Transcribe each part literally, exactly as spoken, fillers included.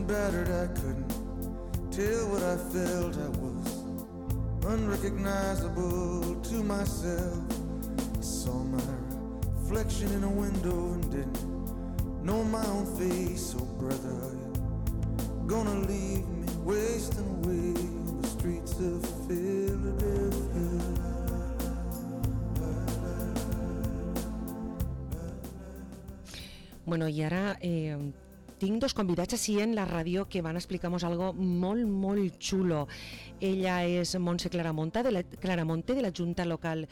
battered, I couldn't tell what I felt. I was unrecognizable to myself. I saw my reflection in a window and didn't know my own face. Oh brother, are you gonna leave me wasting away on the streets of Philadelphia? Bueno, i ara eh, tinc dos convidats així en la ràdio que van explicar-nos algo molt, molt xulo. Ella és Montse Claramonte de la, Claramonte, de la Junta Local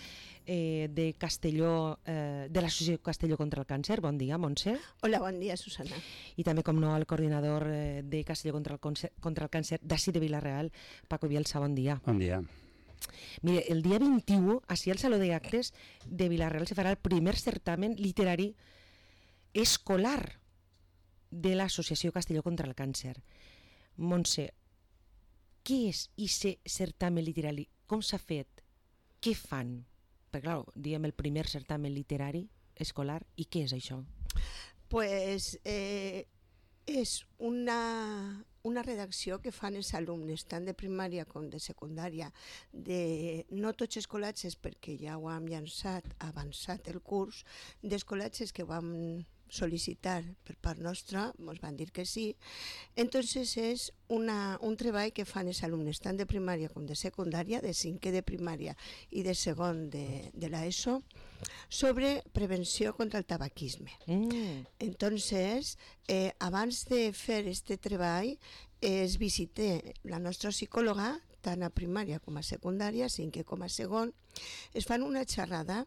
eh, de Castelló, eh, de l'Associació Castelló contra el Càncer. Bon dia, Montse. Hola, bon dia, Susana. I també, com no, el coordinador eh, de Castelló contra el, concer, contra el Càncer d'ací de Vila-real, Paco Bielsa. Bon dia. Bon dia. Mire, el dia vint-i-u, així al Saló d'Actes de Vila-real se farà el primer certamen literari escolar de l'Associació Castelló contra el Càncer. Montse, què és aquest certamen literari? Com s'ha fet? Què fan? Perquè, clar, diem el primer certamen literari escolar, i què és això? Pues eh, és una, una redacció que fan els alumnes, tant de primària com de secundària, de no tots escolatges, perquè ja ho hem llançat, avançat el curs, d'escolatges que ho hem sol·licitar per part nostra, ens van dir que sí. Entonces és una, un treball que fan els alumnes tant de primària com de secundària, de cinquè de primària i de segon de, de l'ESO, sobre prevenció contra el tabaquisme. Mm. Entonces, eh, abans de fer aquest treball, es visité la nostra psicòloga, tant a primària com a secundària, cinquè com a segon, es fan una xerrada.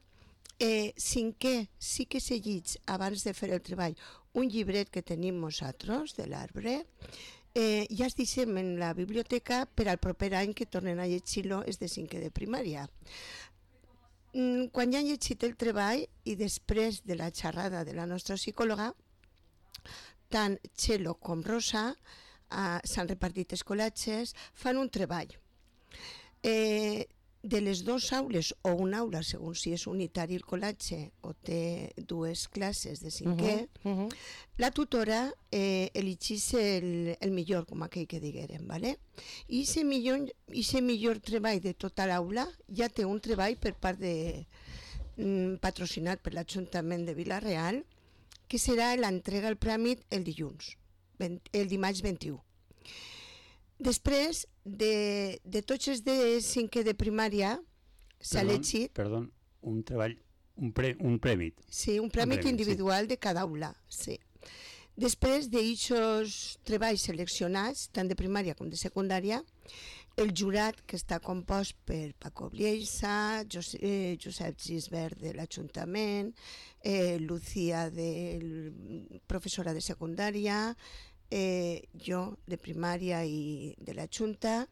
Eh, cinquè, sí que se llig abans de fer el treball un llibret que tenim nosaltres de l'arbre, eh, ja es deixem en la biblioteca per al proper any que tornen a llegir-lo és de cinquè de primària. Mm, quan ja han llegit el treball i després de la xerrada de la nostra psicòloga, tant Txelo com Rosa eh, s'han repartit escolatges, fan un treball. Eh, de les dues aules o una aula, segons si és unitari el col·latge o té dues classes de cinquè, uh-huh, uh-huh. La tutora eh, elegís el, el millor, com aquell que diguérem, ¿vale? I aquest millor, millor treball de tota l'aula ja té un treball per part de mm, patrocinat per l'Ajuntament de Vila-real, que serà l'entrega al premi el dilluns, el dimarts vint-i-u. Després de, de tots els de cinquè de primària s'ha llegit... Perdó, un treball, un, pre, un premi. Sí, un premi un premi, individual sí. De cada aula, sí. Després d'aixòs treballs seleccionats, tant de primària com de secundària, el jurat, que està compost per Paco Bielsa, Josep, eh, Josep Gisbert de l'Ajuntament, eh, Lucía, de, professora de secundària, Eh, jo de primària i de la Junta,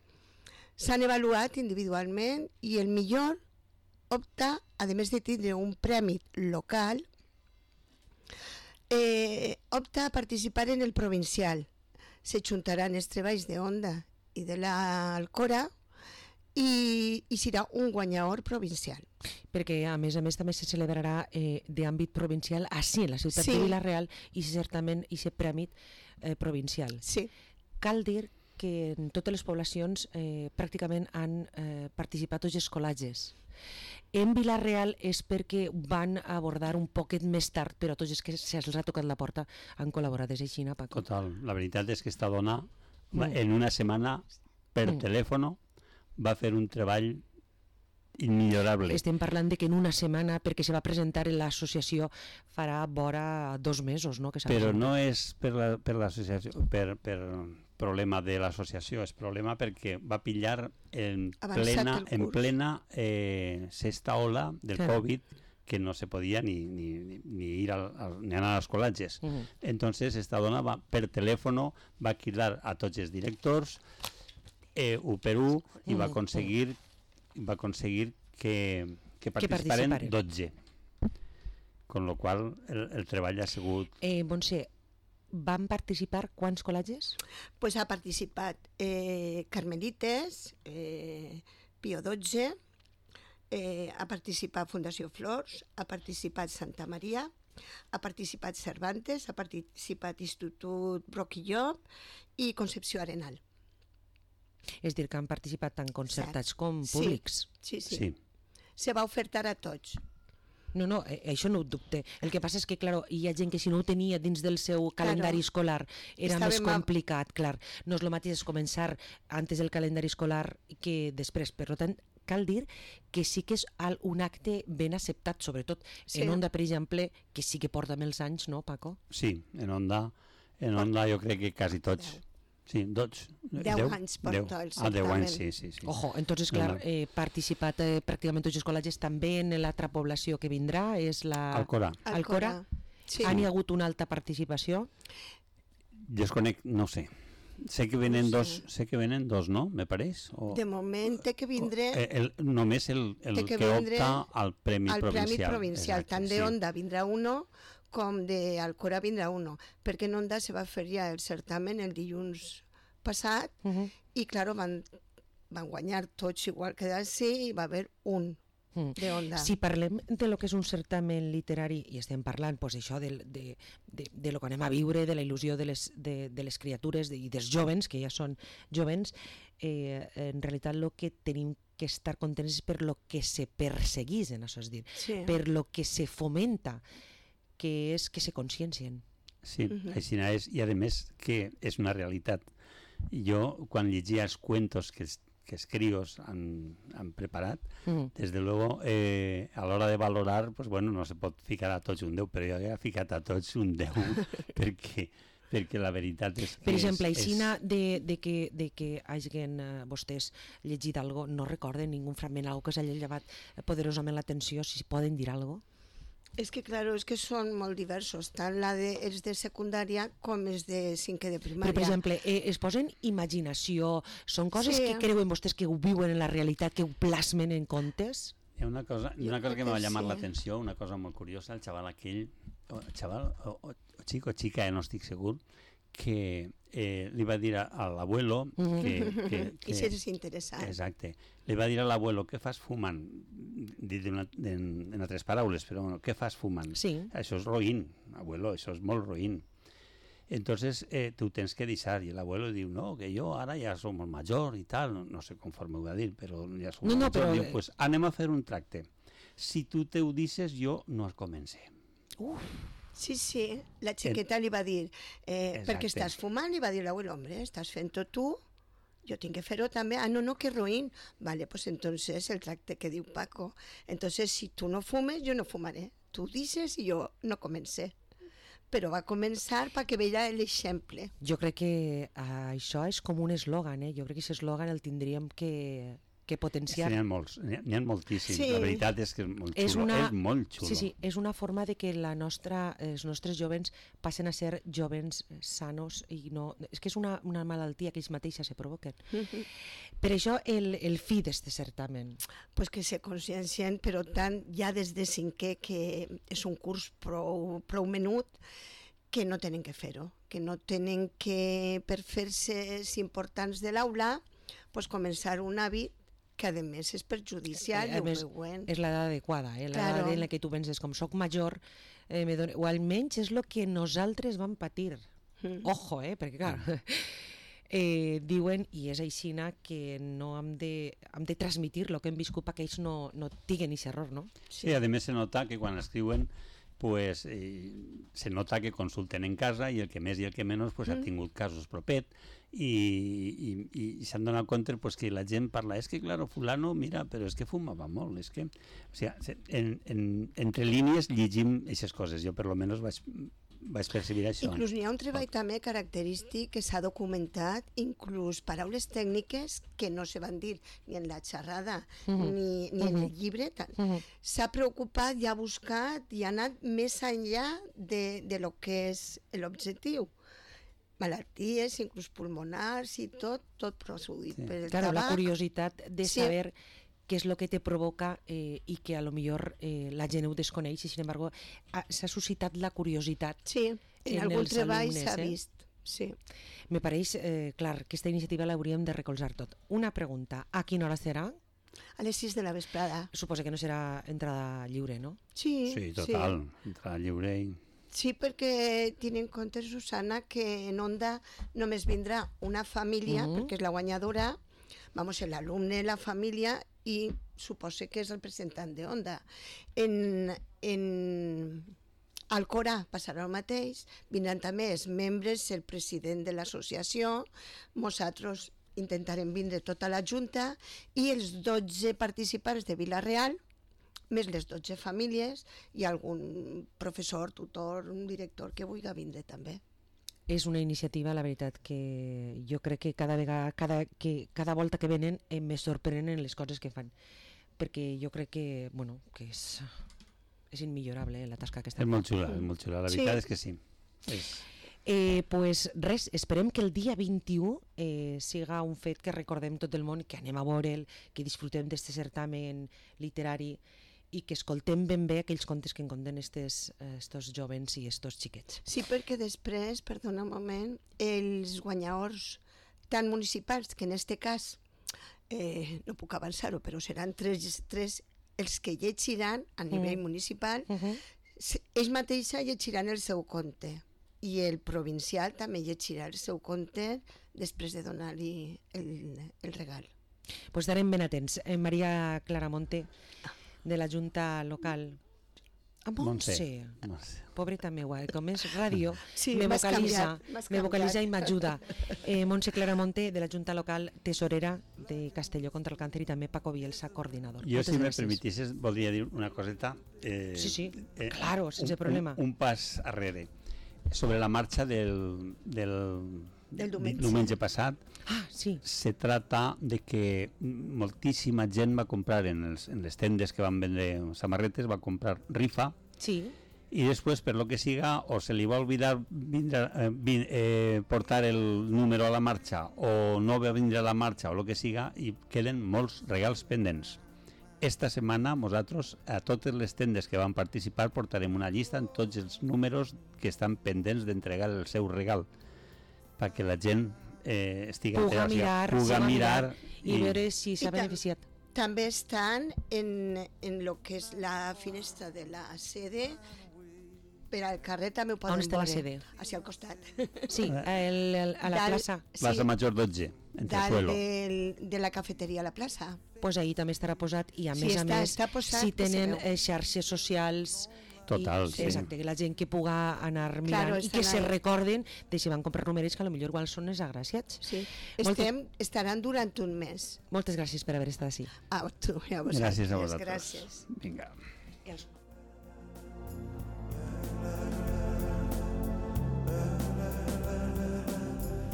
s'han avaluat individualment i el millor opta, a més de tindre un premi local, eh, opta a participar en el provincial. Se juntaran els treballs de Onda i de l'Alcora i, i serà un guanyador provincial. Perquè a més a més també se celebrarà eh, d'àmbit provincial així, en la ciutat sí. de Vila-real, i certament i se premi eh, provincial. Sí. Cal dir que en totes les poblacions eh, pràcticament han eh, participat tots els col·latges. En Vila-real és perquè van abordar un poquet més tard, però tots els que se'ls ha tocat la porta han col·laborat des d'Aixina, Paco. Total, la veritat és que esta dona mm. en una setmana per mm. telèfon va fer un treball immillorable. Estem parlant de que en una setmana, perquè se va presentar en l'associació, farà vora dos mesos, no? Que però no és per la, per l'associació, per, per problema de l'associació, és problema perquè va pillar en Avançat plena, en plena eh, sexta ola del sí. Covid, que no se podia ni, ni, ni ir al, al, ni anar als col·latges. Uh-huh. Entonces esta dona va, per telèfon va cridar a tots els directors eh, u per u i va aconseguir va aconseguir que, que participaren dotze. Con lo qual el, el treball ha sigut... Eh, Montse, van participar quants col·latges? Pues ha participat eh, Carmelites, eh, Pio dotze, eh, ha participat Fundació Flors, ha participat Santa Maria, Ha participat Cervantes, ha participat Institut Broquillop i Concepció Arenal. És dir, que han participat tant concertats Cert. com Sí. públics. Sí, sí. Sí. Se va ofertar a tots. No, no, eh, això no ho dubte. El que passa és que, clar, hi ha gent que si no ho tenia dins del seu calendari Claro. escolar era Estava més ma- complicat, clar. No és el mateix començar antes del calendari escolar que després. Per tant, cal dir que sí que és al- un acte ben acceptat, sobretot Sí. en Onda, per exemple, que sí que porta més anys, no, Paco? Sí, en Onda, en Onda jo crec que quasi tots. Deu. Sí, tots. Deu anys porta el Ah, deu anys, certamen. sí, sí. sí. Ojo, entonces, No, clar, no. eh, participat eh, pràcticament tots els col·legis, també en l'altra població que vindrà, és la... Alcora. Alcora. Sí. Han hi hagut una alta participació? Desconec, no sé. Sé que venen No dos, sé. sé que venen dos, no? Me pareix? O, De moment té que vindre eh, el, només el, el Té que, que vindre opta al Premi al Provincial. Premi Provincial. Exacte, Tant sí. de Onda vindrà uno com de Alcora vindrà uno. Perquè en Onda se va fer ja el certamen el dilluns passat Uh -huh. i, claro, van, van guanyar tots igual que d'ací i va haver un Mm. de Onda. Si parlem de lo que és un certamen literari i estem parlant pues, això de, de, de, de lo que anem a viure, de la il·lusió de les, de, de les criatures de, i dels jovens, que ja són jovens, eh, en realitat el que tenim que estar contents és per lo que se perseguís en això, és dir, Sí. per lo que se fomenta, que és que se consciencien. Sí, Mhm. així és, i a més que és una realitat. Jo, quan llegia els cuentos que, es- que els crios han, han preparat, Mm. desde luego, eh, a l'hora de valorar, pues bueno, no se pot ficar a tots un deu, però jo havia ficat a tots un deu, perquè, perquè la veritat és que... Per exemple, és, aixina de, de, que, de que hagin eh, vostès llegit algo, no recorden ningú fragment, algo que us hagi llevat poderosament l'atenció, si poden dir algo? És que, claro, és que són molt diversos, tant la de, els de secundària com els de cinquè de primària. Però, per exemple, eh, es posen imaginació, són coses Sí. que creuen vostès que ho viuen en la realitat, que ho plasmen en contes? Hi ha una cosa, Jo una cosa crec que m'ha que llamat sí. l'atenció, una cosa molt curiosa, el xaval aquell, o xaval, o, o, o xic o xica, eh, no estic segur, que eh, li va dir a, a l'abuelo Mhm. que, que, que... I si és interessant. Exacte. Li va dir a l'abuelo, què fas fumant? Dit una, en, en altres paraules, però bueno, què fas fumant? Sí. Això és roïn, abuelo, això és molt roïn. Entonces, eh, tu tens que deixar. I l'abuelo diu, no, que jo ara ja som el major i tal, no, no sé conforme ho va dir, però ja som No, el no, major. però- Diu, pues anem a fer un tracte. Si tu te ho dices, jo no es comencé. Sí, sí, la xiqueta li va dir, eh, Exacte. perquè estàs fumant, li va dir l'abuelo, hombre, estàs fent-ho tu, jo tinc que fer-ho també. Ah, no, no, que roïn. Vale, pues entonces el tracte que diu Paco. Entonces, si tu no fumes, jo no fumaré. Tu dices i jo no comencé. Però va començar perquè veia l'exemple. Jo crec que eh, això és com un eslògan, eh? Jo crec que aquest eslògan el tindríem que, que potenciar. N'hi ha molts, n'hi ha, n'hi ha moltíssims. Sí. La veritat és que és molt xulo. És una- És molt xulo. Sí, sí, és una forma de que la nostra, els nostres jovens passen a ser jovens sanos i no... És que és una, una malaltia que ells mateixes se provoquen. Per això el, el fi d'este certamen. Pues que se consciencien, però tant ja des de cinquè, que és un curs prou, prou menut, que no tenen que fer-ho, que no tenen que, per fer-se importants de l'aula, pues començar un hàbit que a més és perjudicial, Eh, i a ho més, veuen. és l'edat adequada, eh? l'edat Claro. en la que tu penses, com soc major, eh, me dono... o almenys és el que nosaltres vam patir. Mm. Ojo, eh? perquè clar, eh, diuen, i és aixina, que no hem de, hem de transmitir el que hem viscut perquè ells no, no tinguen aquest error, no? Sí, a més se nota que quan escriuen pues, eh, se nota que consulten en casa i el que més i el que menys pues, ha tingut casos propet i, i, i s'han donat compte pues, que la gent parla, és que claro, fulano, mira, però és que fumava molt, és que... O sigui, en, en, entre línies llegim aquestes coses, jo per lo menys vaig, vaig percibir això. Inclús n'hi ha un treball també característic que s'ha documentat, inclús paraules tècniques que no se van dir ni en la xerrada ni, ni en el llibre. Tal. S'ha preocupat i ha buscat i ha anat més enllà de, de lo que és l'objectiu. Malalties, inclús pulmonars i tot, tot produït Sí. per el Claro, la tabac. curiositat de Sí. saber què és el que te provoca eh, i que a lo millor eh, la gent ho desconeix i sin embargo ha- s'ha suscitat la curiositat. Sí, en, en algun els treball alumnes, s'ha eh? vist. Sí. Me pareix, eh, clar, que aquesta iniciativa l'hauríem de recolzar tot. Una pregunta, a quina hora serà? A les sis de la vesprada. Suposo que no serà entrada lliure, no? Sí, Sí, total, sí. Entrada lliure i... Sí, perquè tinc en compte, Susana, que en Onda només vindrà una família, Mhm. perquè és la guanyadora, vamos, l'alumne, la família, i suposo que és el representant de Onda. En, en Alcorà passarà el mateix, vindran també els membres, el president de l'associació, nosaltres intentarem vindre tota la Junta, i els dotze participants de Vila-real, més les dotze famílies i algun professor, tutor, un director que vulgui vindre també. És una iniciativa, la veritat, que jo crec que cada vegada, cada, que cada volta que venen em me sorprenen les coses que fan, perquè jo crec que, bueno, que és, és immillorable, eh, la tasca que estan És fent. molt xula, és molt xula. La Sí. veritat és que sí. És... Eh, pues res, esperem que el dia vint-i-u eh, siga un fet que recordem tot el món, que anem a veure'l, que disfrutem d'aquest certamen literari i que escoltem ben bé aquells contes que en conten estos, eh, estos jovens i estos xiquets. Sí, perquè després, perdona un moment, els guanyadors tant municipals, que en este cas eh, no puc avançar-ho, però seran tres, tres els que llegiran a nivell Mm. municipal, Uh -huh. se- ells mateixos llegiran el seu compte i el provincial també llegirà el seu compte després de donar-li el, el regal. Pues estarem ben atents. Eh, Maria Claramonte, de la Junta Local. A Montse, Montse. pobreta meua, eh, com és ràdio, Sí, me m'has vocalitza, canviat, m'has me vocalitza canviat. i m'ajuda. Eh, Montse Claramonte, de la Junta Local, tesorera de Castelló contra el Càncer, i també Paco Bielsa, coordinador. Jo, Moltes si me gràcies. permetisses, voldria dir una coseta. Eh, Sí, sí, claro, sense un, problema. Un, un pas arrere. Sobre la marxa del, del, Del diumenge. diumenge passat, Ah, sí. se trata de que moltíssima gent va comprar en, els, en les tendes que van vendre samarretes, va comprar rifa, Sí, i després, per lo que siga, o se li va oblidar vindre, eh, vin, eh, portar el número a la marxa, o no va vindre a la marxa, o lo que siga, i queden molts regals pendents. Esta setmana, nosaltres, a totes les tendes que van participar, portarem una llista amb tots els números que estan pendents d'entregar el seu regal, perquè la gent eh, estigui puga entera, o sigui, mirar, puga se va mirar i veure si s'ha I tant. beneficiat. També estan en, en lo que és la finestra de la sede, per al carrer també ho poden On està la veure. sede? Hacia al costat. Sí, el, el, a la Dalt- plaça. Plaça Major dotze, entre dalt suelo. del, de la cafeteria a la plaça. Pues ahí també estarà posat, i a Sí, més a està- més, està posat si que se tenen veu. eh, xarxes socials, Total, i, sí. exacte, que la gent que puga anar mirant Claro, i que estan se ahí. recorden de si van comprar numerets que potser igual són els agraciats. Sí. Moltes- Estem, estaran durant un mes. Moltes gràcies per haver estat així. A tu i a vosaltres. Gràcies a vosaltres. Gràcies. Vinga. I els...